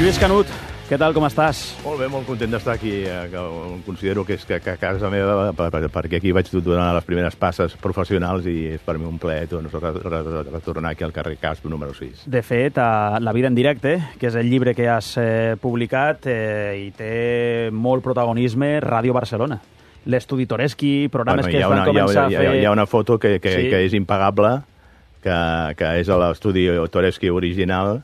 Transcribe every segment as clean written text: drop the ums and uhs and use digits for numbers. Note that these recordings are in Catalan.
Lluís Canut, què tal, com estàs? Molt bé, molt content d'estar aquí. Considero que és que a casa meva, perquè aquí vaig donar les primeres passes professionals i és per mi un plaer retornar aquí al carrer Casp, número 6. De fet, a La vida en directe, que és el llibre que has publicat, hi té molt protagonisme Ràdio Barcelona. L'estudi Toreschi, programes que es van començar a fer... Hi ha una foto que és impagable, que és l'estudi Toreschi original,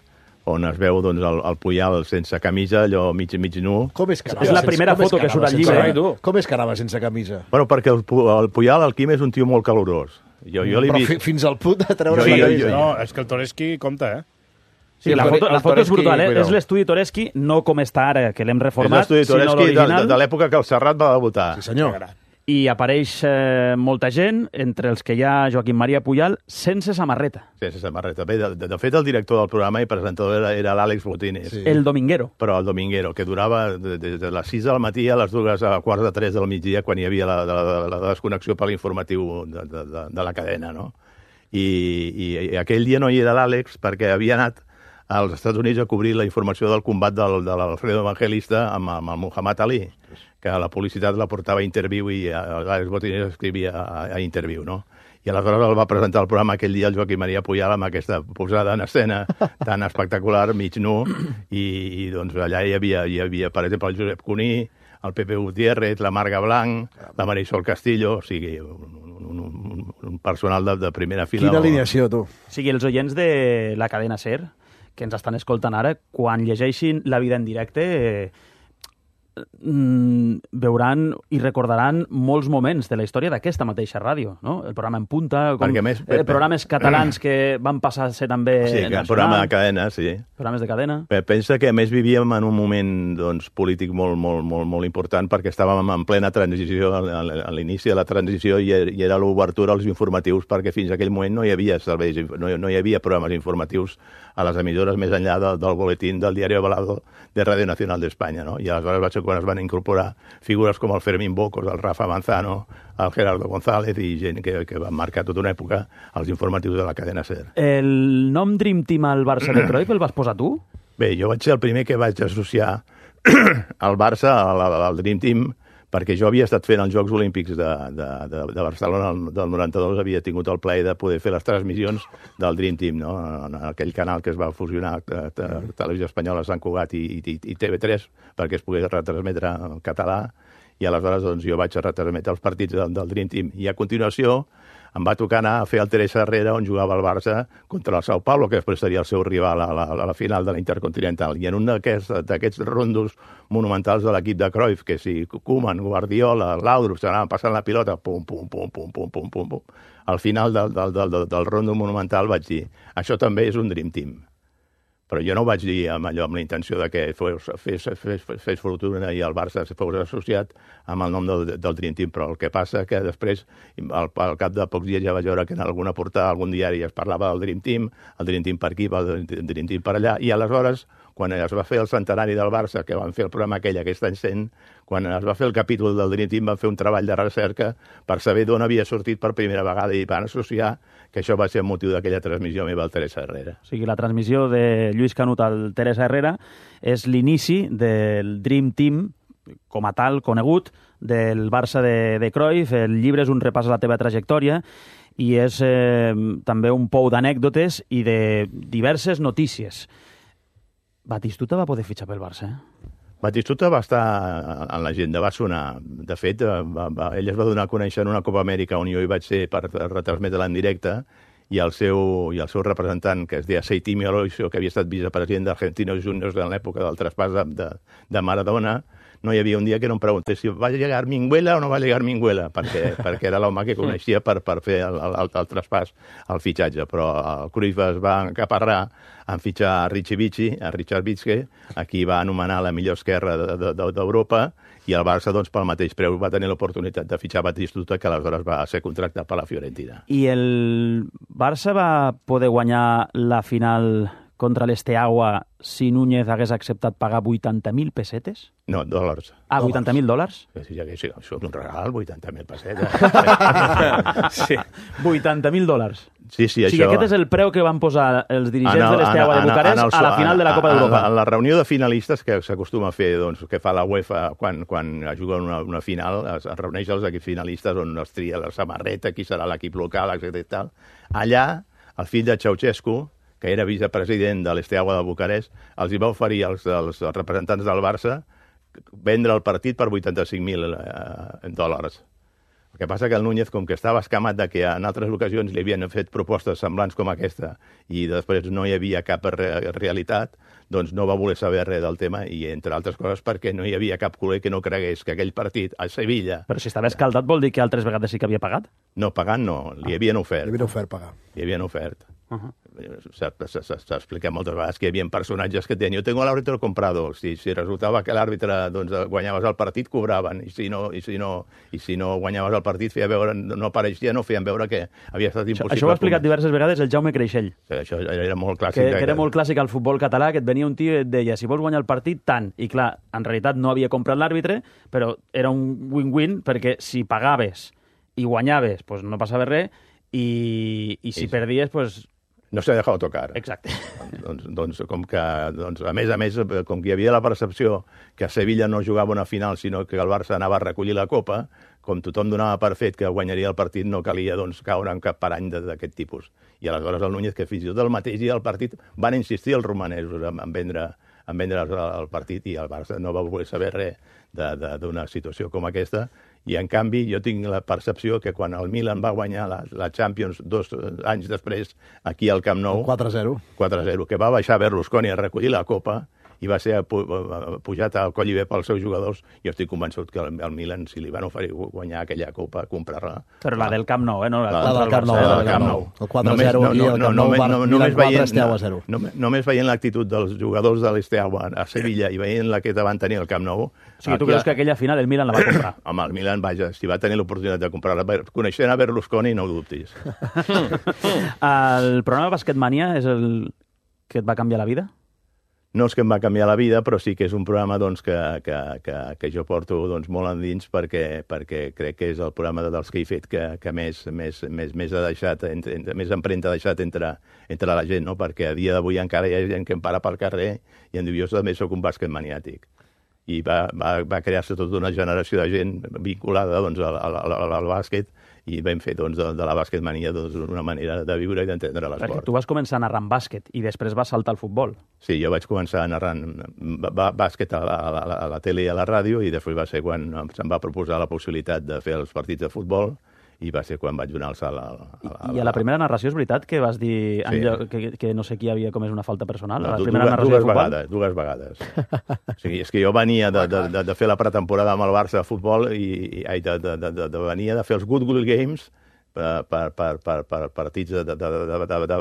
on es veu doncs, el Puyal sense camisa, allò mig nu. Com és que anava? És la primera foto que surt al llibre. Com és que anava sense camisa? Bueno, perquè el Puyal, el Quim, és un tio molt calorós. Jo l'he vist... Fins al punt de treure la camisa. No, és que el Toreschi compta, eh? Sí, la foto és brutal, eh? És l'estudi Toreschi, no com està ara, que l'hem reformat, és l'estudi Toreschi de l'època que el Serrat va debutar. Sí, senyor. I apareix molta gent, entre els que hi ha Joaquim Maria Puyal, sense samarreta. Sense samarreta. Bé, de fet, el director del programa i presentador era l'Àlex Botines. Sí. El Dominguero. Però el Dominguero, que durava des de les 6 del matí a les 2 a quarts de 3 del migdia, quan hi havia la desconnexió per l'informatiu de la cadena, no? I aquell dia no hi era l'Àlex perquè havia anat als Estats Units a cobrir la informació del combat de l'Alfredo Evangelista amb el Muhammad Ali, que la publicitat la portava a Interviu i l'Àlex Botines escrivia a Interviu, no? I aleshores el va presentar el programa aquell dia el Joaquim Maria Puyal amb aquesta posada en escena tan espectacular, mig nu, i doncs allà hi havia, per exemple, el Josep Cuní, el Pepe Gutiérrez, la Marga Blanc, la Marisol Castillo, o sigui, un personal de primera fila. Quina alineació, tu. O sigui, els oients de la cadena SER, que ens estan escoltant ara, quan llegeixin La vida en directe, veuran i recordaran molts moments de la història d'aquesta mateixa ràdio, no? El programa En Punta, programes catalans que van passar a ser també nacional. Programa de cadena, sí. Programes de cadena. Pensa que, a més, vivíem en un moment doncs, polític molt important perquè estàvem en plena transició, a l'inici de la transició, i era l'obertura als informatius, perquè fins a aquell moment no hi havia serveis, no hi havia programes informatius a les emissores més enllà del boletín del Diario Balado de Radio Nacional d'Espanya, no? I aleshores va ser quan es van incorporar figures com el Fermín Bocos, el Rafa Manzano, el Gerardo González i gent que van marcar tota una època als informatius de la cadena SER. El nom Dream Team al Barça de Cruyff el vas posar tu? Bé, jo vaig ser el primer que vaig associar al Barça al Dream Team, perquè jo havia estat fent els Jocs Olímpics de Barcelona del 92, havia tingut el plaer de poder fer les transmissions del Dream Team, no? En aquell canal que es va fusionar Televisió Espanyola, Sant Cugat i TV3, perquè es pogués retransmetre en català, i aleshores doncs, jo vaig retransmetre els partits del Dream Team. I a continuació em va tocar anar a fer el Teresa Herrera, on jugava el Barça contra el Sao Paulo, que després seria el seu rival a la final de la Intercontinental. I en un d'aquests rondos monumentals de l'equip de Cruyff, que si Koeman, Guardiola, Laudrup s'anaven passant la pilota, pum, pum, pum, pum, pum, pum, pum, pum. Al final del rondo monumental vaig dir, això també és un Dream Team. Però jo no ho vaig dir amb la intenció de que fes fortuna i el Barça fos associat amb el nom del Dream Team, però el que passa que després, al cap de pocs dies ja vaig veure que en alguna portada, algun diari es parlava del Dream Team per aquí, el Dream Team per allà, i aleshores, quan es va fer el centenari del Barça, que van fer el programa aquell aquest any 100, quan es va fer el capítol del Dream Team, van fer un treball de recerca per saber d'on havia sortit per primera vegada i van associar que això va ser el motiu d'aquella transmissió meva al Teresa Herrera. O sigui, la transmissió de Lluís Canut al Teresa Herrera és l'inici del Dream Team, com a tal, conegut, del Barça de Cruyff. El llibre és un repàs a la teva trajectòria i és també un pou d'anècdotes i de diverses notícies. Batistuta va poder fitxar pel Barça, Batistuta va estar en l'agenda, va sonar. De fet, ell es va donar a conèixer en una Copa Amèrica on jo hi vaig ser per retransmetre-la en directe, i el seu representant, que es deia Seitimio Aloisio, que havia estat vicepresident d'Argentinos Juniors en l'època del traspàs de Maradona, no hi havia un dia que no em preguntés si va llegar Minguela o no va llegar Minguela, perquè era l'home que coneixia per fer el traspàs, el fitxatge. Però el Cruyff es va encaparrar en fitxar a Richard Bitzke, a qui va anomenar la millor esquerra d'Europa, i el Barça, doncs, pel mateix preu, va tenir l'oportunitat de fitxar Batistuta, que aleshores va ser contractat per la Fiorentina. I el Barça va poder guanyar la final contra l'Esteagua si Núñez hagués acceptat pagar 80.000 pessetes? No, dòlars. Ah, 80.000 dòlars? Sí, això és un regal, 80.000 pessetes. Sí. 80.000 dòlars. Sí, O sigui, aquest és el preu que van posar els dirigents de l'Esteagua de Bucarest a la final de la Copa d'Europa. En la reunió de finalistes que s'acostuma a fer, doncs, que fa la UEFA quan juguen una final, es reuneix els equips finalistes on es tria la samarreta, qui serà l'equip local, etc. i tal. Allà, el fill de Ceausescu, que era vicepresident de l'Esteagua de Bucarest, els hi va oferir als representants del Barça vendre el partit per 85.000 dòlars. El que passa que el Núñez, com que estava escamat de que en altres ocasions li havien fet propostes semblants com aquesta i després no hi havia cap realitat, doncs no va voler saber res del tema i, entre altres coses, perquè no hi havia cap culer que no cregués que aquell partit a Sevilla... Però si estava escaldat vol dir que altres vegades sí que havia pagat? No, pagant no, li havien ofert. Li havien ofert pagar. Li havien ofert. S'ha explicat moltes vegades que hi havia personatges que deien: jo tengo al árbitro comprado. Si resultava que l'àrbitre guanyaves el partit, cobraven. I si no guanyaves el partit, feia veure, no apareixia, no feien veure que havia estat impossible. Això ho ha explicat diverses vegades el Jaume Creixell. Això era molt clàssic. Que era molt clàssic al futbol català, que et venia un tio i et deia: si vols guanyar el partit, tant. I clar, en realitat no havia comprat l'àrbitre, però era un win-win, perquè si pagaves i guanyaves, pues no passava res, i si perdies, pues... No s'ha deixat tocar. Exacte. Doncs, a més, com que hi havia la percepció que a Sevilla no jugava una final, sinó que el Barça anava a recollir la Copa, com tothom donava per fet que guanyaria el partit, no calia caure en cap parany d'aquest tipus. I aleshores el Núñez, que fins i tot el mateix dia del partit, van insistir els romanesos en vendre el partit, i el Barça no va voler saber res d'una situació com aquesta. I, en canvi, jo tinc la percepció que quan el Milan va guanyar la Champions 2 anys després, aquí al Camp Nou... 4-0. 4-0, que va baixar Berlusconi a recollir la Copa i va ser pujat al coll i bé pels seus jugadors. Jo estic convençut que el Milan, si li van oferir guanyar aquella Copa, comprar-la... Però la del Camp Nou, no? La del Camp Nou. El 4-0 i el Camp Nou, Milan 4, Esteagua 0. Només veient l'actitud dels jugadors de l'Esteagua a Sevilla i veient la que van tenir al Camp Nou... O sigui, tu creus que aquella final el Milan la va comprar? Home, el Milan, vaja, si va tenir l'oportunitat de comprar-la, coneixent a Berlusconi, no ho dubtis. El programa Basketmania és el que et va canviar la vida? No és que em va canviar la vida, però sí que és un programa que jo porto molt endins perquè crec que és el programa dels que he fet que més ha deixat, més empremta ha deixat entre la gent, no? Perquè a dia d'avui encara hi ha gent que em para pel carrer i em diu: jo també soc un bàsquet maniàtic. I va crear-se tota una generació de gent vinculada al bàsquet, i vam fer de la bàsquetmania una manera de viure i d'entendre l'esport. Perquè tu vas començar narrant bàsquet i després vas saltar al futbol. Sí, jo vaig començar narrant bàsquet a la tele i a la ràdio, i després va ser quan se'm va proposar la possibilitat de fer els partits de futbol, i va ser quan vaig donar el salt I a la primera narració és veritat que vas dir que no sé qui havia comès una falta personal? A la primera narració de futbol? Dues vegades. O sigui, és que jo venia de fer la pretemporada amb el Barça de futbol i venia de fer els Good Games per partits de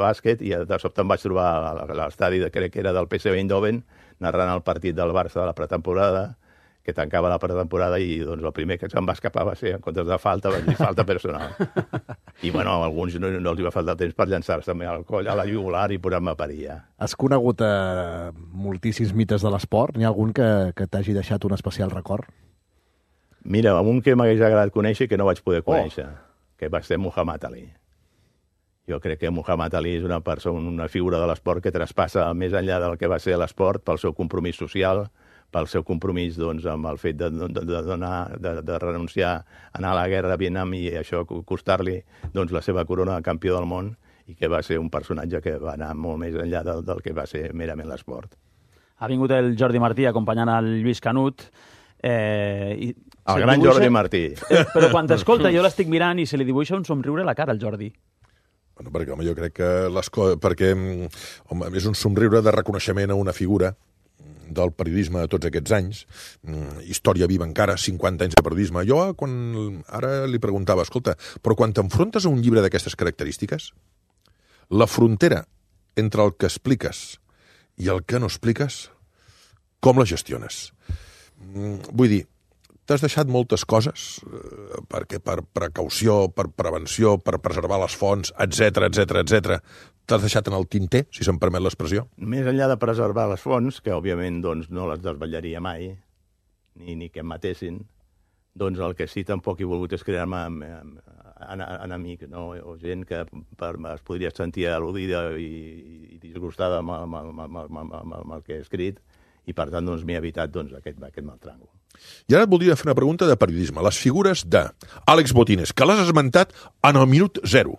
bàsquet, i de sobte em vaig trobar a l'estadi, crec que era del PSV Eindhoven, narrant el partit del Barça de la pretemporada, que tancava la pretemporada, i doncs el primer que se'm va escapar va ser, en comptes de falta, vaig dir falta personal. I bueno, a alguns no els va faltar temps per llançar-se al coll, a la jugular, i posar-me a parir ja. Has conegut moltíssims mites de l'esport? N'hi ha algun que t'hagi deixat un especial record? Mira, un que m'hagués agradat conèixer que no vaig poder conèixer, que va ser Muhammad Ali. Jo crec que Muhammad Ali és una persona, una figura de l'esport que traspassa més enllà del que va ser l'esport pel seu compromís social, pel seu compromís amb el fet de renunciar a anar a la guerra a Vietnam i això costar-li la seva corona de campió del món, i que va ser un personatge que va anar molt més enllà del que va ser merament l'esport. Ha vingut el Jordi Martí acompanyant el Lluís Canut. El gran Jordi Martí. Però quan t'escolta jo l'estic mirant i se li dibuixa un somriure a la cara al Jordi. Bueno, perquè, home, jo crec que és un somriure de reconeixement a una figura del periodisme de tots aquests anys, història viva encara, 50 anys de periodisme. Jo ara li preguntava, escolta, però quan t'enfrontes a un llibre d'aquestes característiques, la frontera entre el que expliques i el que no expliques, com la gestiones? Vull dir, t'has deixat moltes coses, perquè per precaució, per prevenció, per preservar les fonts, etc, t'has deixat en el tinter, si se'm permet l'expressió? Més enllà de preservar les fonts, que òbviament doncs, no les desvetllaria mai, ni que em matessin, doncs el que sí tampoc he volgut és crear-me enemics, no? O gent que es podria sentir al·ludida i disgustada amb el que he escrit, i per tant doncs, m'he evitat doncs, aquest mal tràngol. I ara et voldria fer una pregunta de periodisme. Les figures d'Àlex Botines, que l'has esmentat en el minut 0.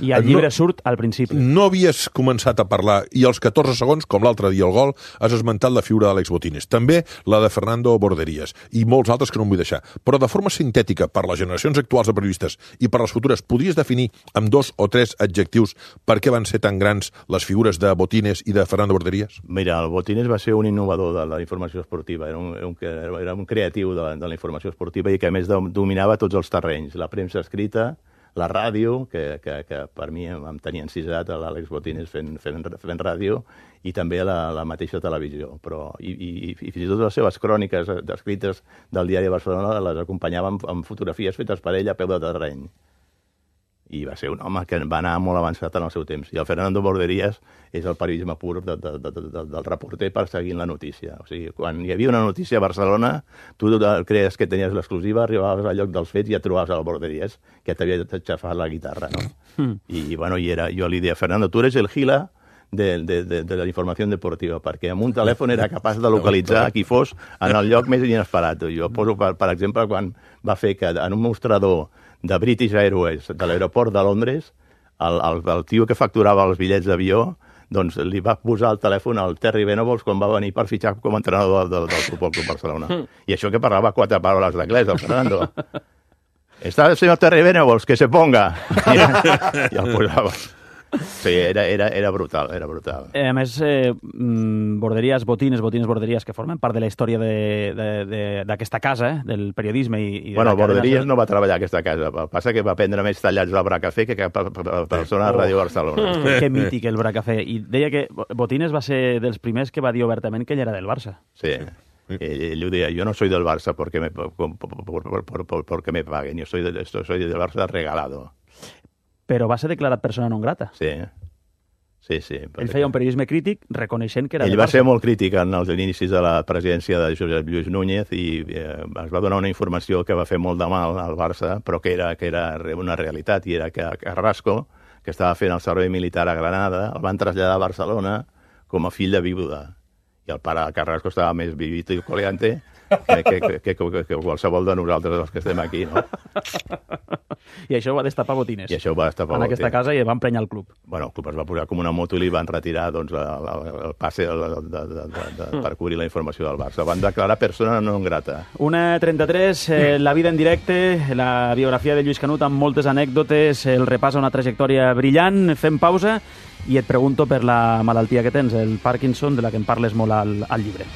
I el llibre surt al principi. No havies començat a parlar, i als 14 segons, com l'altre dia al gol, has esmentat la figura d'Àlex Botines. També la de Fernando Borderías, i molts altres que no em vull deixar. Però de forma sintètica, per les generacions actuals de periodistes i per les futures, podries definir amb 2 o 3 adjectius per què van ser tan grans les figures de Botines i de Fernando Borderías? Mira, el Botines va ser un innovador de la informació esportiva, era un creatiu de la informació esportiva i que a més dominava tots els terrenys, la premsa escrita, la ràdio, que per mi em tenia encisat l'Àlex Botines fent ràdio, i també la mateixa televisió. I fins i tot les seves cròniques escrites del diari de Barcelona les acompanyaven amb fotografies fetes per ell a peu de terreny. I va ser un home que va anar molt avançat en el seu temps. I el Fernando Borderías és el periodisme pur del reporter perseguint la notícia. O sigui, quan hi havia una notícia a Barcelona, tu creies que tenies l'exclusiva, arribaves al lloc dels fets i ja trobaves el Borderías, que t'havia aixafat la guitarra, no? I bueno, jo li deia, Fernando, tu eres el Gila de la informació deportiva, perquè amb un telèfon era capaç de localitzar qui fos en el lloc més inesperat. Jo poso, per exemple, quan va fer que en un mostrador de British Airways, de l'aeroport de Londres, el tio que facturava els bitllets d'avió, doncs li va posar el telèfon al Terry Venables quan va venir per fitxar com a entrenador del Futbol Club Barcelona. I això que parlava 4 paraules d'anglès, el Fernando. Està el senyor Terry Venables, que se ponga. I el posava. Sí, era brutal, era brutal. A més, Borderías, Botines, Borderías, que formen part de la història d'aquesta casa, del periodisme. Bueno, Borderías no va treballar a aquesta casa. El que passa que va prendre més tallats del Bracafé que persona a Ràdio Barcelona. Que mític el Bracafé. I deia que Botines va ser dels primers que va dir obertament que ell era del Barça. Sí. Ell ho deia, yo no soy del Barça porque me paguen, yo soy del Barça regalado. Però va ser declarat persona non grata. Sí. Ell feia un periodisme crític reconeixent que era ell va ser molt crític en els inicis de la presidència de Josep Lluís Núñez i es va donar una informació que va fer molt de mal al Barça, però que era una realitat, i era que Carrasco, que estava fent el servei militar a Granada, el van traslladar a Barcelona com a fill de viuda. I el pare de Carrasco estava més vivito i coleante que qualsevol de nosaltres els que estem aquí, no? I això ho va destapar Botines. I això ho va destapar en aquesta casa, i va emprenyar el club. Bueno, el club es va posar com una moto i li van retirar doncs, el passe per cobrir la informació del Barça. Van declarar persona non grata. 1:33, la vida en directe, la biografia de Lluís Canut amb moltes anècdotes, el repàs a una trajectòria brillant. Fem pausa i et pregunto per la malaltia que tens, el Parkinson, de la que en parles molt al llibre.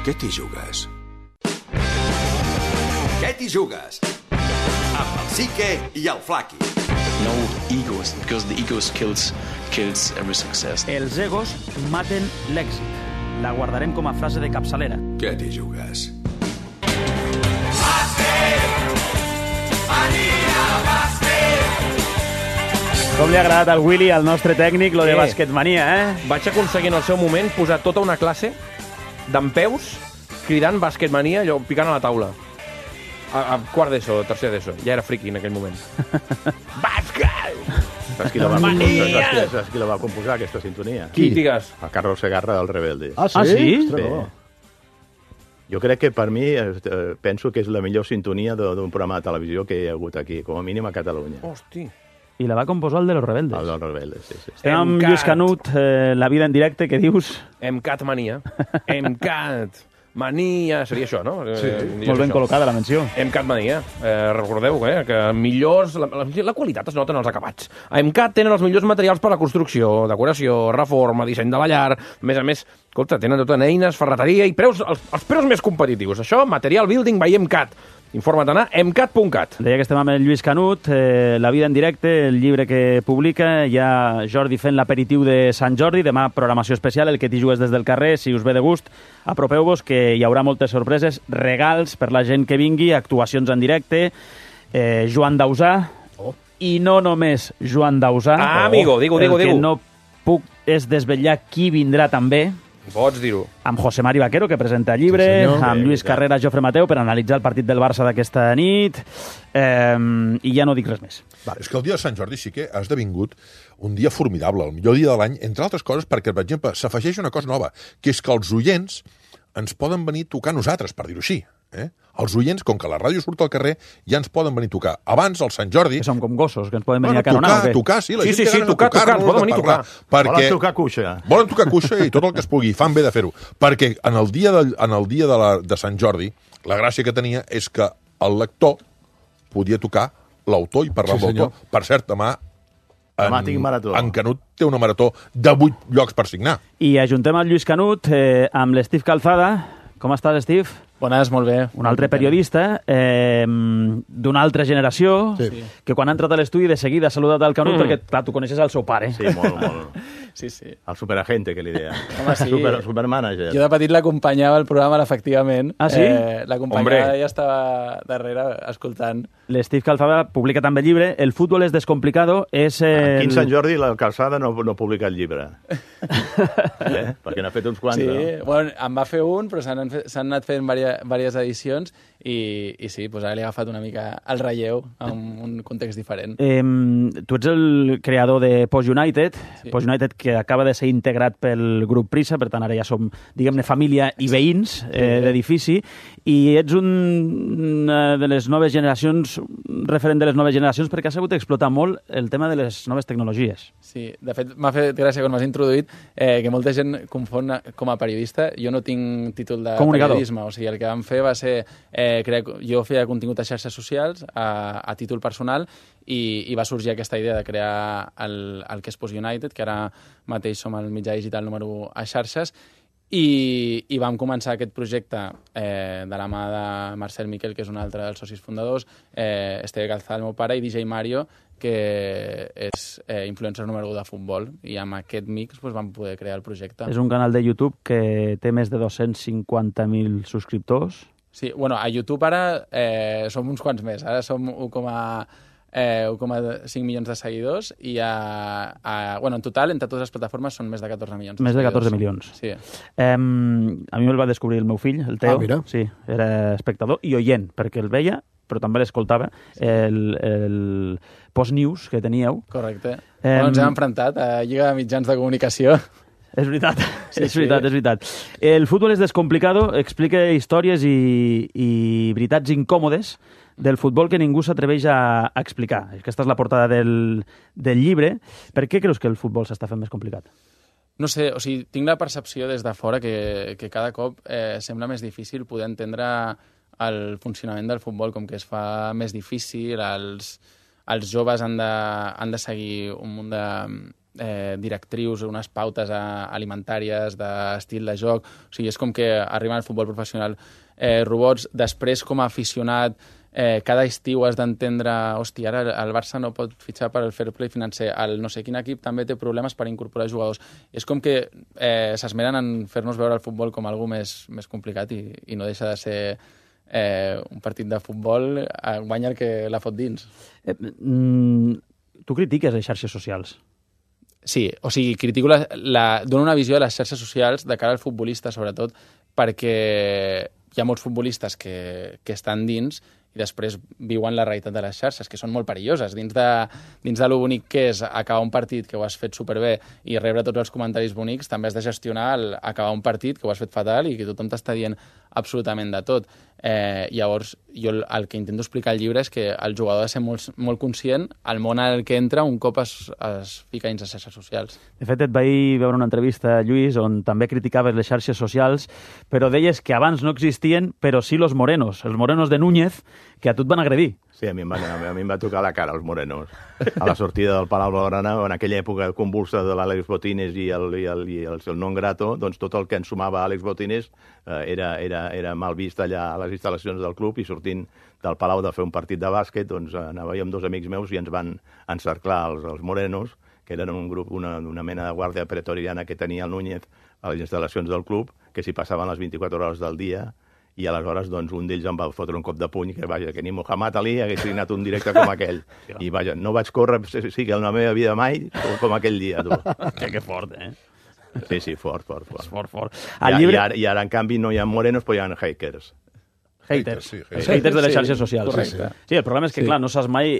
Què t'hi jugues? Què t'hi jugues? Amb el Sique i el Flaqui. No egos, because the egos kills every success. Els egos maten l'èxit. La guardarem com a frase de capçalera. Què t'hi jugues? Com li ha agradat al Willy, al nostre tècnic, lo de basquetmania, eh? Vaig aconseguir en el seu moment posar tota una classe d'empeus cridant basquetmania, allò, picant a la taula. A quart d'ESO, tercer d'ESO. Ja era friqui en aquell moment. Bàsquet! Saps qui la va composar, aquesta sintonia? Qui? Digues. El Carlos Segarra del Rebelde. Ah, sí? Ah, sí? Sí. Jo crec que per mi, penso que és la millor sintonia d'un programa de televisió que hi ha hagut aquí, com a mínim a Catalunya. Hosti. I la va composar el de los Rebeldes. El dels Rebeldes, sí. Estem amb Lluís Canut, la vida en directe, què dius? Emcat mania. Emcat mania. Seria això, no? Sí. Molt ben col·locada la menció. Emcat mania. Recordeu que millors... La qualitat es nota en els acabats. A Emcat tenen els millors materials per a la construcció, decoració, reforma, disseny de la llar. A més, escolta, tenen tot en eines, ferreteria i preus, els preus més competitius. Això, Material Building by Emcat. Informa't a emcat.cat. Deia que estem amb el Lluís Canut, La vida en directe, el llibre que publica. Hi ha Jordi fent l'aperitiu de Sant Jordi, demà programació especial, el que t'hi jugues des del carrer, si us ve de gust, apropeu-vos, que hi haurà moltes sorpreses, regals per la gent que vingui, actuacions en directe, Joan Dausà, i no només Joan Dausà, amigo, digue-ho. El que no puc és desvetllar qui vindrà també, Pots dir-ho. amb José Mari Vaquero, que presenta el llibre, amb Lluís Carrera, Jofre Mateu, per analitzar el partit del Barça d'aquesta nit, i ja no dic res més. És que el dia de Sant Jordi sí que ha esdevingut un dia formidable, el millor dia de l'any, entre altres coses perquè, per exemple, s'afegeix una cosa nova, que és que els oients ens poden venir a tocar nosaltres, per dir-ho així. Els oients, com que la ràdio surt al carrer, ja ens poden venir a tocar. Abans, al Sant Jordi... Que som com gossos, que ens poden venir a caronar, o què? Tocar, sí, la gent Sí, tocar, poden venir a tocar. Volen tocar cuixa. Volen tocar cuixa i tot el que es pugui. Fan bé de fer-ho. Perquè en el dia de Sant Jordi, la gràcia que tenia és que el lector podia tocar l'autor i parlar amb l'autor. Per cert, demà tinc marató. En Canut té una marató de 8 llocs per signar. I ajuntem el Lluís Canut amb l'Steve Calzada. Com estàs, Steve? Bones, molt bé. Un altre periodista d'una altra generació, que quan ha entrat a l'estudi de seguida ha saludat al Canut perquè, clar, tu coneixes el seu pare. Sí, molt. Sí. El superagente, que li deia. Home, sí. Supermanager. Jo de petit l'acompanyava al programa, efectivament. Ah, sí? L'acompanyava i ja estava darrere escoltant. L'Steve Calzada publica també llibre. El futbol és descomplicado. Aquí en Sant Jordi la Calzada no publica el llibre. Perquè n'ha fet uns quants, sí, no? bueno, en va fer un, però s'han anat fent diverses edicions i sí, doncs ara li ha agafat una mica el relleu en un context diferent. Tu ets el creador de Post United, Post United que acaba de ser integrat pel grup Prisa, per tant ara ja som, diguem-ne, família i veïns d'edifici, i ets una de les noves generacions, referent de les noves generacions, perquè has hagut d'explotar molt el tema de les noves tecnologies. Sí, de fet m'ha fet gràcia quan m'has introduït que molta gent confon com a periodista. Jo no tinc títol de periodisme, o sigui, el que vam fer va ser jo feia contingut a xarxes socials a títol personal i va sorgir aquesta idea de crear el que és Post United, que ara mateix som el mitjà digital número 1 a xarxes, i vam començar aquest projecte de la mà de Marcel Miquel, que és un altre dels socis fundadors, Esteve Calzada, el meu pare, i DJ Mario, que és influencer número 1 de futbol, i amb aquest mix vam poder crear el projecte. És un canal de YouTube que té més de 250.000 subscriptors. Sí, bueno, a YouTube ara som uns quants més. Ara som 1,5 milions de seguidors i en total, entre totes les plataformes, són més de 14 milions de Més de seguidors. 14 milions. Sí. A mi me'l va descobrir el meu fill, el Teo. Mira. Sí, era espectador i oient, perquè el veia, però també l'escoltava, el post-news que teníeu. Correcte. Ens hem enfrontat a Lliga de Mitjans de Comunicació. És veritat, és veritat. El futbol és descomplicado, explica històries i veritats incòmodes del futbol que ningú s'atreveix a explicar. Aquesta és la portada del llibre. Per què creus que el futbol s'està fent més complicat? No sé, o sigui, tinc la percepció des de fora que cada cop sembla més difícil poder entendre el funcionament del futbol, com que es fa més difícil, els joves han de seguir un munt de directrius, unes pautes alimentàries, d'estil de joc. O sigui, és com que arriben al futbol professional robots. Després, com a aficionat, cada estiu has d'entendre, hòstia, ara el Barça no pot fitxar per al fair play financer, el no sé quin equip també té problemes per incorporar jugadors. És com que s'esmeren en fer-nos veure el futbol com algo més complicat i no deixa de ser un partit de futbol, guanya el que la fot dins. Tu critiques les xarxes socials. Sí, o sigui, critico dono una visió de les xarxes socials de cara al futbolista, sobretot, perquè hi ha molts futbolistes que estan dins i després viuen la realitat de les xarxes, que són molt perilloses. Dins de lo bonic que és acabar un partit que ho has fet superbé i rebre tots els comentaris bonics, també has de gestionar acabar un partit que ho has fet fatal i que tothom t'està dient absolutament de tot. Llavors, jo el que intento explicar al llibre és que el jugador ha de ser molt conscient al món al que entra un cop es fica dins les xarxes socials. De fet, et vaig veure una entrevista, Lluís, on també criticaves les xarxes socials, però deies que abans no existien, però sí los morenos de Núñez, que a tu et van agredir. Sí, a mi em va tocar la cara, els morenos. A la sortida del Palau Blaugrana, en aquella època convulsa de l'Àlex Botines i el non grato, doncs tot el que ens sumava Àlex Botines era mal vist allà a les instal·lacions del club, i sortint del Palau de fer un partit de bàsquet, doncs anava amb 2 amics meus i ens van encerclar els morenos, que eren un grup, una mena de guàrdia pretoriana que tenia el Núñez a les instal·lacions del club, que s'hi passaven les 24 hores del dia, i aleshores doncs, un d'ells em va fotre un cop de puny que ni Muhammad Ali hagués signat un directe com aquell. I vaja, no vaig córrer, sí que en la meva vida mai, com aquell dia, tu. Que fort, eh? Sí, fort. És fort. I ara, en canvi, no hi ha morenos, però hi ha hackers. Haters. Sí, Els haters de les xarxes socials. correcte. Sí, el problema és que, clar, no saps mai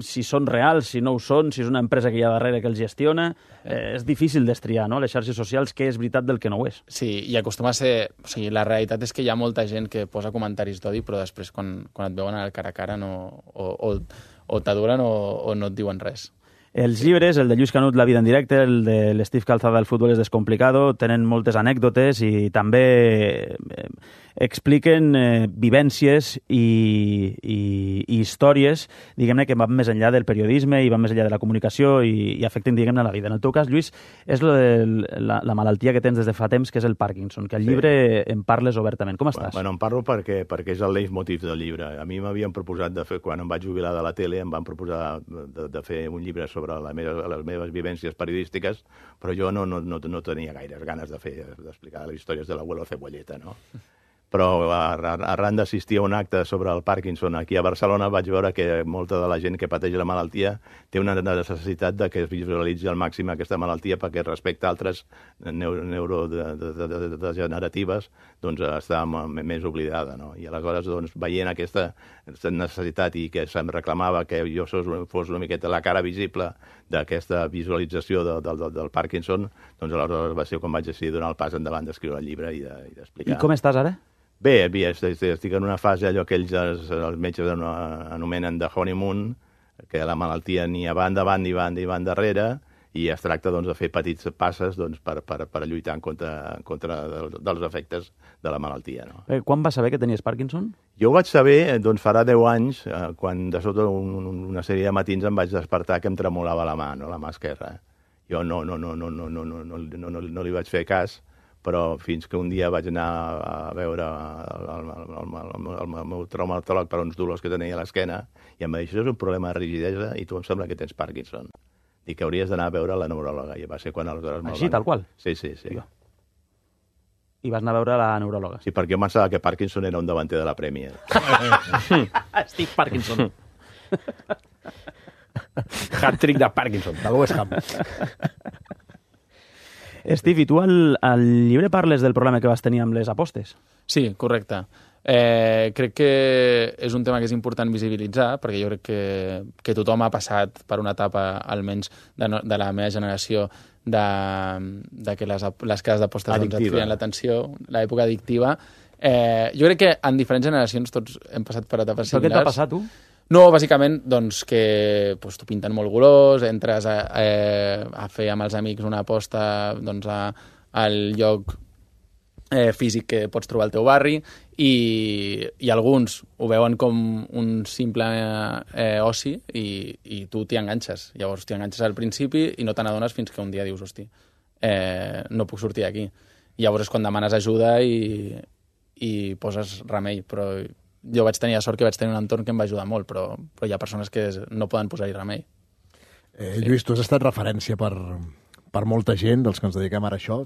si són reals, si no ho són, si és una empresa que hi ha darrere que els gestiona. És difícil destriar, no?, les xarxes socials, què és veritat del que no ho és. Sí, i acostuma a ser... O sigui, la realitat és que hi ha molta gent que posa comentaris d'odi, però després, quan et veuen al cara a cara, o t'adoren o no et diuen res. Els llibres, el de Lluís Canut, La vida en directe, el de l'Steve Calzada, El futbol és descomplicado, tenen moltes anècdotes i també expliquen vivències i històries, diguem-ne, que van més enllà del periodisme i van més enllà de la comunicació i afecten, diguem-ne, la vida. En el teu cas, Lluís, és la malaltia que tens des de fa temps, que és el Parkinson, que al llibre en parles obertament. Com estàs? Bueno, en parlo perquè és el leitmotiv del llibre. A mi m'havien proposat de fer, quan em vaig jubilar de la tele, em van proposar de fer un llibre sobre les meves vivències periodístiques, però jo no tenia gaires ganes d'explicar les històries de l'abuelo Cebolleta, no? Però arran d'assistir a un acte sobre el Parkinson aquí a Barcelona vaig veure que molta de la gent que pateix la malaltia té una necessitat de que es visualitzi al màxim aquesta malaltia, perquè respecte a altres neurodegeneratives doncs està més oblidada, no? I aleshores, doncs, veient aquesta necessitat i que se'm reclamava que jo fos una miqueta la cara visible d'aquesta visualització del Parkinson, doncs aleshores va ser quan vaig decidir donar el pas endavant d'escriure el llibre i d'explicar. I com estàs ara? Bé, estic en una fase, allò que els metges anomenen de honeymoon, que la malaltia ni va endavant ni va darrere, i es tracta doncs, de fer petits passes doncs, per lluitar en contra dels efectes de la malaltia. No? Quan vas saber que tenies Parkinson? Jo ho vaig saber, doncs farà 10 anys, quan de sota una sèrie de matins em vaig despertar que em tremolava la mà, no? La mà esquerra. Jo no li vaig fer cas, però fins que un dia vaig anar a veure el meu traumatòleg per uns dolors que tenia a l'esquena i em va dir, això és un problema de rigidesa i tu em sembla que tens Parkinson. Dic que hauries d'anar a veure la neuròloga. I va ser quan aleshores... Així, tal qual? Sí. I vas anar a veure la neuròloga? Sí, perquè jo pensava que Parkinson era un davanter de la Premier. Steve Parkinson. Hat-trick de Parkinson. De West Ham. Steve, i tu al llibre parles del problema que vas tenir amb les apostes? Sí, correcte. Crec que és un tema que és important visibilitzar, perquè jo crec que tothom ha passat per una etapa, almenys de la meva generació, de que les cases d'apostes doncs, et criden l'atenció, l'època addictiva. Jo crec que en diferents generacions tots hem passat per etapes similars. Però què t'ha passat, tu? No, bàsicament, doncs, que doncs, t'ho pinten molt golós, entres a fer amb els amics una aposta doncs, al lloc físic que pots trobar al teu barri i alguns ho veuen com un simple oci i tu t'hi enganxes. Llavors t'hi enganxes al principi i no te n'adones fins que un dia dius, hosti, no puc sortir d'aquí. Llavors és quan demanes ajuda i poses remei, però jo vaig tenir la sort que vaig tenir un entorn que em va ajudar molt, però hi ha persones que no poden posar-hi remei. Lluís, tu has estat referència per molta gent, dels que ens dediquem ara a això.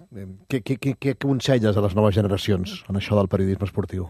Què aconselles a les noves generacions en això del periodisme esportiu?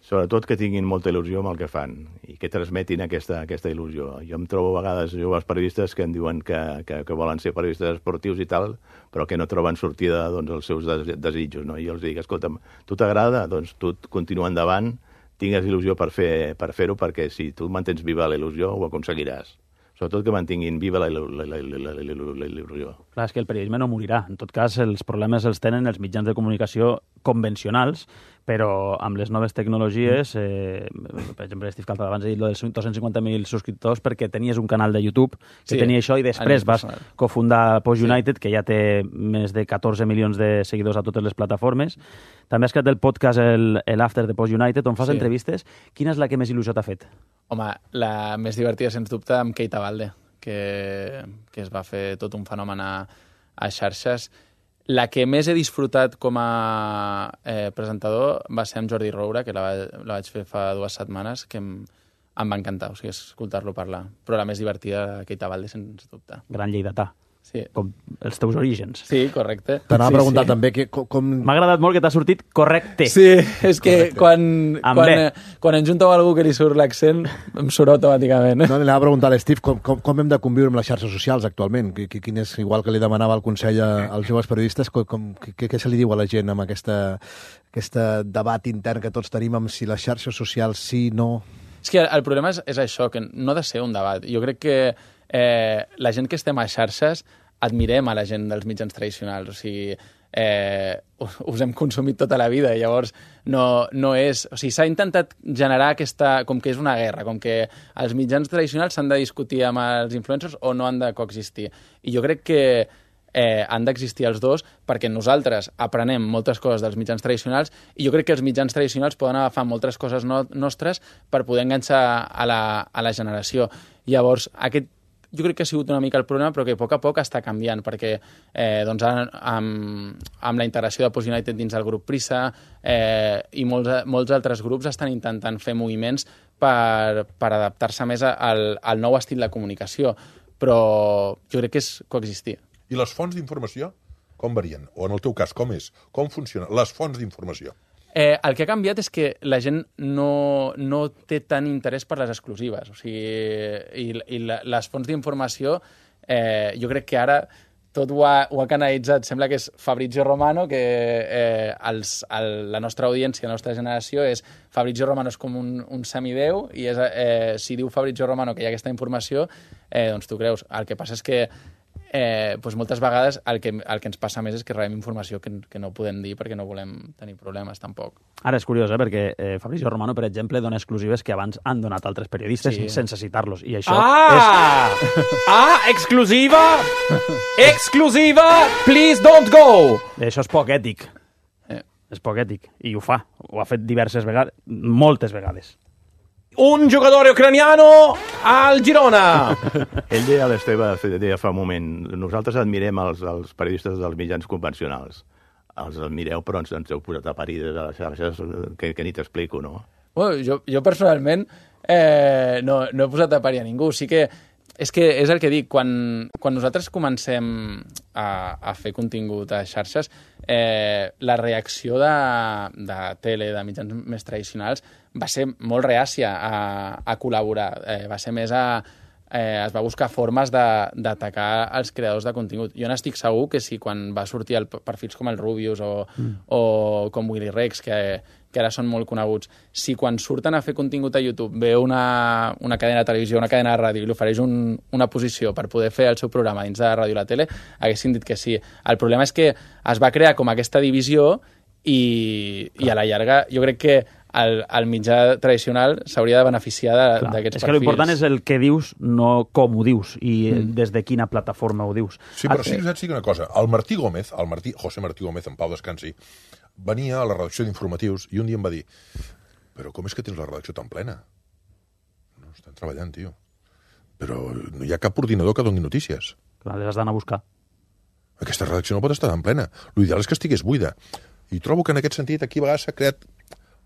Sobretot que tinguin molta il·lusió amb el que fan i que transmetin aquesta il·lusió. Jo em trobo a vegades joves periodistes que em diuen que volen ser periodistes esportius i tal, però que no troben sortida doncs, als seus desitjos. No? I jo els dic, escolta'm, tu t'agrada? Doncs tu continua endavant, tingues il·lusió per fer-ho, perquè si tu mantens viva la il·lusió ho aconseguiràs. sobretot que mantinguin viva la il·lusió. Clar, és que el periodisme no morirà. En tot cas, els problemes els tenen els mitjans de comunicació convencionals, però amb les noves tecnologies, per exemple, Steve Caltat abans ha dit dels 250.000 subscriptors perquè tenies un canal de YouTube que tenia això i després vas cofundar Post United, que ja té més de 14 milions de seguidors a totes les plataformes. També has creat el podcast l'After de Post United, on fas entrevistes. Quina és la que més il·lusió t'ha fet? Home, la més divertida, sens dubte, amb Keita Balde, que es va fer tot un fenomen a xarxes. La que més he disfrutat com a presentador va ser amb Jordi Roura, que la vaig fer fa 2 setmanes, que em va encantar, o sigui, escoltar-lo parlar. Però la més divertida, Keita Balde, sens dubte. Gran lleidatà. Sí. Com els teus orígens. Sí, correcte. T'anava a preguntar també com... M'ha agradat molt que t'ha sortit correcte. Sí, és que quan em junto amb algú que li surt l'accent, em surt automàticament. No, li anava a preguntar a l'Steve com hem de conviure amb les xarxes socials actualment. Quin és, igual que li demanava el consell als joves periodistes, què se li diu a la gent amb aquest debat intern que tots tenim amb si les xarxes socials sí, no... És que el problema és això, que no ha de ser un debat. Jo crec que la gent que estem a xarxes admirem a la gent dels mitjans tradicionals. O sigui, us hem consumit tota la vida i llavors no és... O sigui, s'ha intentat generar aquesta... com que és una guerra, com que els mitjans tradicionals s'han de discutir amb els influencers o no han de coexistir. I jo crec que han d'existir els dos perquè nosaltres aprenem moltes coses dels mitjans tradicionals i jo crec que els mitjans tradicionals poden agafar moltes coses nostres per poder enganxar a la generació. Llavors, jo crec que ha sigut una mica el problema, però que a poc està canviant, perquè amb la integració de Post United dins del grup Prisa i molts altres grups estan intentant fer moviments per adaptar-se més al nou estil de comunicació, però jo crec que és coexistir. I les fonts d'informació com varien? O en el teu cas, com és? Com funcionen les fonts d'informació? El que ha canviat és que la gent no té tant interès per les exclusives. O sigui, i les fonts d'informació, jo crec que ara tot ho ha canalitzat. Sembla que és Fabrizio Romano, que la nostra audiència, la nostra generació, és Fabrizio Romano és com un semideu, i si diu Fabrizio Romano que hi ha aquesta informació, doncs tu creus. El que passa és que moltes vegades el que ens passa més és que rebem informació que no podem dir perquè no volem tenir problemes, tampoc. Ara és curiós, perquè Fabrizio Romano, per exemple, dona exclusives que abans han donat altres periodistes sense citar-los. I això és... exclusiva! Exclusiva! Please don't go! Això és poc ètic. És poc ètic. I ho fa. Ho ha fet diverses vegades, moltes vegades. Un giocatore ucraniano al Girona! Ell deia a l'Esteve, deia fa un moment, nosaltres admirem els periodistes dels mitjans convencionals. Els admireu, però ens heu posat a parir de les xarxes que ni t'explico, no? Bueno, jo personalment no he posat a parir a ningú. Sí que és el que dic, quan nosaltres comencem a fer contingut a xarxes, la reacció de tele, de mitjans més tradicionals, va ser molt reàcia a col·laborar. Va ser més es va buscar formes d'atacar els creadors de contingut. Jo n'estic segur que si quan va sortir perfils com el Rubius o com Willy Rex, que ara són molt coneguts, si quan surten a fer contingut a YouTube ve una cadena de televisió, una cadena de ràdio i li ofereix una posició per poder fer el seu programa dins de la ràdio i la tele, haguessin dit que sí. El problema és que es va crear com aquesta divisió i a la llarga jo crec que el mitjà tradicional s'hauria de beneficiar d'aquests perfils. És que l'important és el que dius, no com ho dius i des de quina plataforma ho dius. Sí, però sí que una cosa. El Martí Gómez, José Martí Gómez, en pau descansi, venia a la redacció d'informatius i un dia em va dir: però com és que tens la redacció tan plena? No, estan treballant, tio. Però no hi ha cap ordinador que doni notícies. Clar, les has d'anar a buscar. Aquesta redacció no pot estar tan plena. L'ideal és que estigués buida. I trobo que en aquest sentit aquí a vegades s'ha creat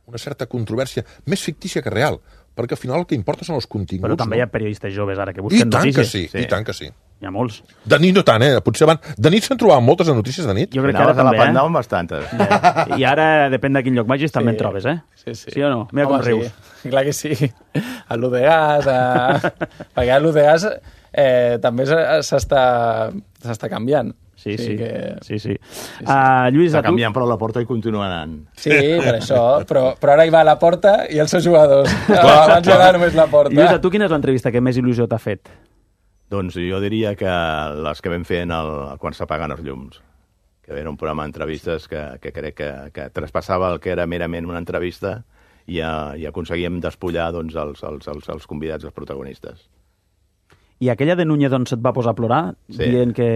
una certa controvèrsia, més fictícia que real, perquè al final el que importa són els continguts. Però també hi ha periodistes joves ara que busquen notícies. I tant que sí. Hi ha molts. De nit no tant, Potser de nit se'n trobaven moltes de notícies de nit. Jo crec que ara també, anaven bastantes. I ara, depèn de quin lloc vagis, també en trobes, Sí o no? Mira com rius. Sí, clar que sí. A l'Udegas, perquè a l'Udegas també s'està canviant. Sí. Lluís, està canviant, però a la Porta hi continua anant. Sí, per això. Però ara hi va a la Porta i els seus jugadors. Abans hi va només la Porta. Lluís, a tu quina és l'entrevista que més il·lusió t'ha fet? Doncs jo diria que les que vam fer quan s'apaguen els llums, que era un programa d'entrevistes que crec que traspassava el que era merament una entrevista i aconseguíem despullar doncs, els convidats, els protagonistes. I aquella de Núñez on se't va posar a plorar, dient que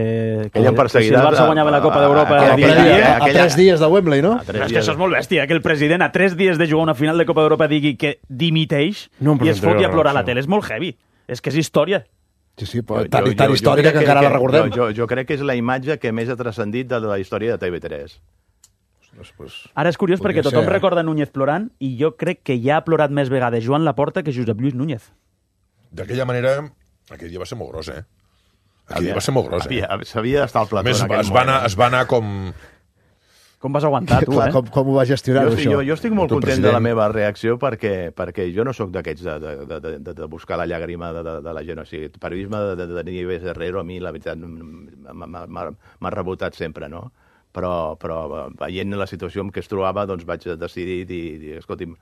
si el perseguidors Barça guanyava la Copa d'Europa... A 3 dies de Wembley, no? Però és que això és molt bèstia, que el president a 3 dies de jugar una final de Copa d'Europa digui que dimiteix i es foti a plorar a la tele. És molt heavy. És que és història. Sí, però tan històrica que encara la recordem. Jo crec que és la imatge que més ha transcendit de la història de TV3. Ara és curiós perquè tothom recorda Núñez plorant i jo crec que ja ha plorat més vegades Joan Laporta que Josep Lluís Núñez. D'aquella manera, aquell dia va ser molt gros, eh? Aquell dia va ser molt gros, eh? S'havia d'estar al plató en aquell moment. Es va anar com... Com vas aguantar, tu, Com ho vas gestionar, això? Jo estic molt content de la meva reacció perquè jo no sóc d'aquests de buscar la llàgrima de la gent. O sigui, el periodisme de Nieves Herrero a mi, la veritat, m'ha rebotat sempre, no? Però veient la situació en què es trobava, doncs vaig decidir dir, escolti'm,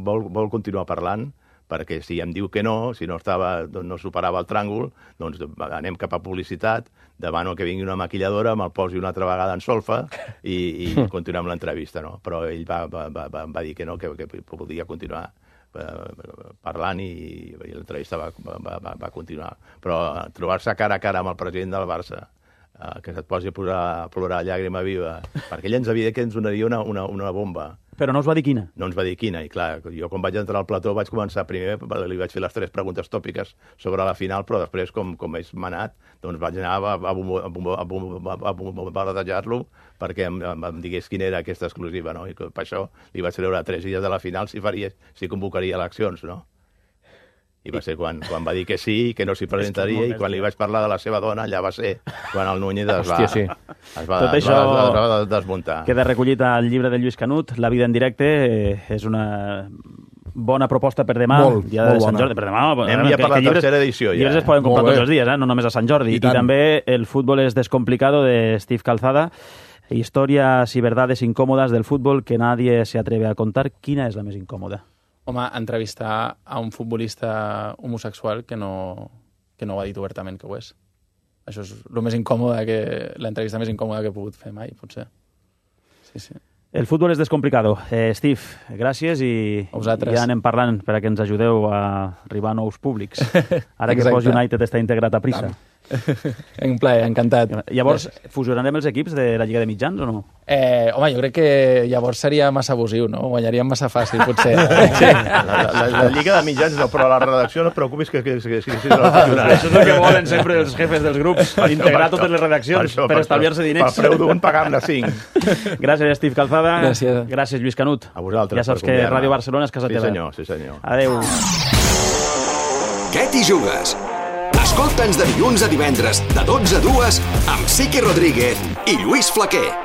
vol continuar parlant? Perquè si em diu que no, si no superava el tràngol, doncs anem cap a publicitat, demano que vingui una maquilladora, me'l posi una altra vegada en solfa i continuem l'entrevista, no? Però ell va dir que no, que podia continuar parlant i l'entrevista va continuar. Però trobar-se cara a cara amb el president del Barça, que se't posi a plorar llàgrima viva, perquè ell ens havia dit que ens donaria una bomba. Però no us va dir quina? No ens va dir quina, i clar, jo quan vaig entrar al plató vaig començar primer, li vaig fer les 3 preguntes tòpiques sobre la final, però després, com és manat, doncs vaig anar a bombardejar-lo perquè em digués quina era aquesta exclusiva, no? I per això li vaig treure 3 dies de la final si convocaria eleccions, no? I va ser quan va dir que sí, que no s'hi presentaria, i quan li vaig parlar de la seva dona, allà va ser quan el Núñez es va desmuntar. Queda recollit al llibre de Lluís Canut, La vida en directe, és una bona proposta per demà. Molt bona. Per demà, anem ja per la tercera edició. Llibres es poden comprar tots els dies, no només a Sant Jordi. I també El fútbol es descomplicado, de Steve Calzada. Historias y verdades incómodas del fútbol que nadie se atreve a contar. Quina és la més incòmoda? Home, entrevistar a un futbolista homosexual que no ho ha dit obertament que ho és. Això és el més incòmode, l'entrevista més incòmoda que he pogut fer mai, potser. Sí. El fútbol és descomplicado. Steve, gràcies i ja anem parlant per a que ens ajudeu a arribar a nous públics. Ara que Post United està integrat a Prisa. Un plaer, encantat. Llavors, fusionarem els equips de la Lliga de Mitjans o no? Home, jo crec que llavors seria massa abusiu, no? Guanyaríem massa fàcil, potser. La Lliga de Mitjans no, però la redacció no et preocupis que Això és el que volen sempre els jefes dels grups, integrar totes les redaccions per estalviar-se diners. Per preu d'un pagar-ne 5. Gràcies, Steve Calzada. Gràcies, Lluís Canut. A vosaltres. Ja saps que Ràdio Barcelona és casa teva. Sí, senyor. Adéu. Què t'hi jugues? Escolta'ns de dilluns a divendres, de 12 a 2, amb Sique Rodríguez i Lluís Flaquer.